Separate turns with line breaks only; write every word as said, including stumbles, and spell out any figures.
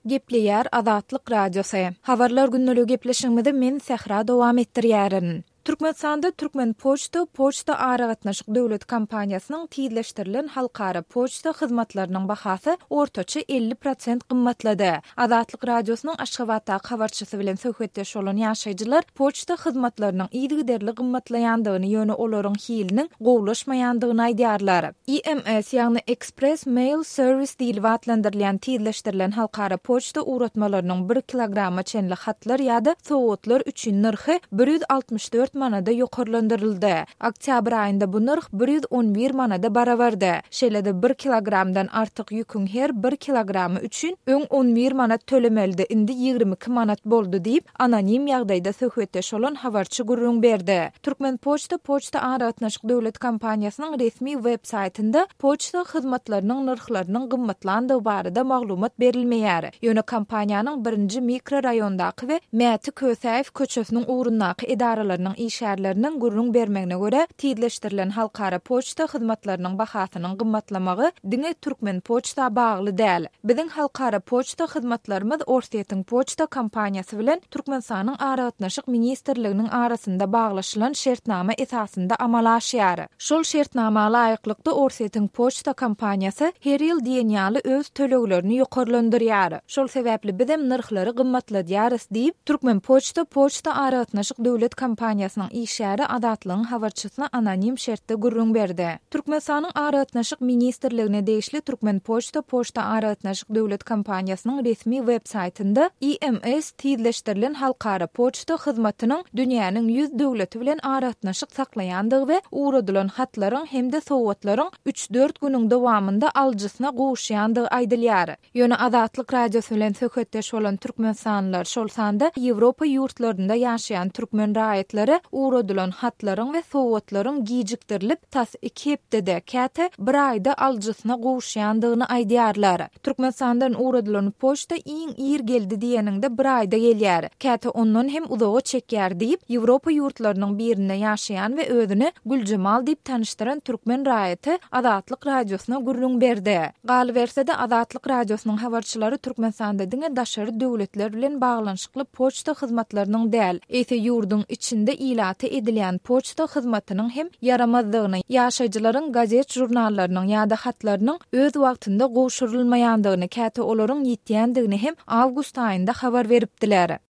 Gepleýär Azatlyk Radiosy. Habarlar gündeligi gepleşigimizi men Sähra dowam etdirýärin. Türkmenistanda Türkmenpoçta poçta aragatnaşyk döwlet kompaniýasynyň tizleşdirilen halkara poçta hyzmatlarynyň bahasy ortaça elli prosent gymmatlady. Azatlyk Radiosynyň Aşgabatdaky habarçysy bilen söhbetdeş bolan ýaşaýjylar poçta hyzmatlarynyň yzygiderli gymmatlaýandygyny, ýöne olaryň hiliniň gowulaşmaýandygyny aýdýarlar. E M S, ýagny Express Mail Service diýlip atlandyrylýan tizleşdirilen halkara poçta ugratmalarynyň bir kilograma çenli hatlar ýa-da sowgatlar üçin nyrhy bir ýüz altmyş dört manada ýokarlandyryldy. Oktýabr aýynda bu nyrh bir ýüz on bir manada barabardy. Şeýle-de bir kilogramdan artyk ýüküň her bir kilogramy üçin öň on bir manat tölemelidi, indi ýigrimi iki manat boldy diýip, anonim ýagdaýda söhbetdeş bolan habarçy gürrüň berdi. Türkmenpoçta poçta aragatnaşyk döwlet kompaniýasynyň resmi web saýtynda poçta hyzmatlarynyň nyrhlarynyň gymmatlandygy barada maglumat berilmeýär. Ýöne kompaniýanyň birinji mikroraýondaky we Mäti Kösäýew köçesiniň ugrundaky edaralarynyň işgärleriniň gürrüň bermegine görä, tizleşdirilen halkara poçta hyzmatlarynyň bahasynyň gymmatlamagy diňe Türkmenpoçta bagly däl. Biziň halkara poçta hyzmatlarymyz Orsýetiň poçta kompaniýasy bilen Türkmenistanyň Aragatnaşyk ministrliginiň arasynda baglaşylan şertnama esasynda amala aşýar. Şol şertnama laýyklykda Orsýetiň poçta kompaniýasy her ýyl diýen ýaly öz töleglerini ýokarlandyrýar. Şol sebäpli bizem nyrhlary gymmatladýarys diýip, Türkmenpoçta poçta aragatnaşyk döwlet kompaniýasynyň işgäri Azatlygyň habarçysyna anonim şertde gürrüň berdi. Türkmenistanyň Aragatnaşyk ministrligine degişli Türkmenpoçta poçta aragatnaşyk döwlet kompaniýasynyň resmi web saýtynda E M S tizleşdirilen halkara poçta hyzmatynyň dünýäniň ýüz döwleti bilen aragatnaşyk saklaýandygy we ugradylan hatlaryň hem-de sowgatlaryň üç-dört günüň dowamynda alyjysyna gowuşýandygy aýdylýar. Ýöne Azatlyk Radiosy bilen söhbetdeş bolan türkmenistanlylar, şol sanda Ýewropa ýurtlarynda ýaşaýan türkmen raýatlary ugradylan hatlaryň we sowgatlaryň gijikdirilip tas iki hepdede, käte bir aýda alyjysyna gowuşýandygyny aýdýarlar. Türkmenistandan ugradylan poçta iň ir geldi diýeniňde bir aýda gelýär. Käte ondan hem uzaga çekýär diýip, Ýewropa ýurtlarynyň birinde ýaşaýan we özüni Güljemal diýip tanyşdyran türkmen raýaty Azatlyk Radiosyna gürrüň berdi. Galyberse-de Azatlyk Radiosynyň habarçylary Türkmenistanda diňe daşary döwletler bilen baglanyşykly poçta hyzmatlarynyň däl, eýse ýurduň içinde ilaty edilýän poçta hyzmatynyň hem ýaramazdygyny, ýaşaýjylaryň gazet žurnallarynyň ýa-da hatlarynyň öz wagtynda gowşurylmaýandygyny, käte olaryň ýetýändigini hem awgust aýynda habar beripdiler.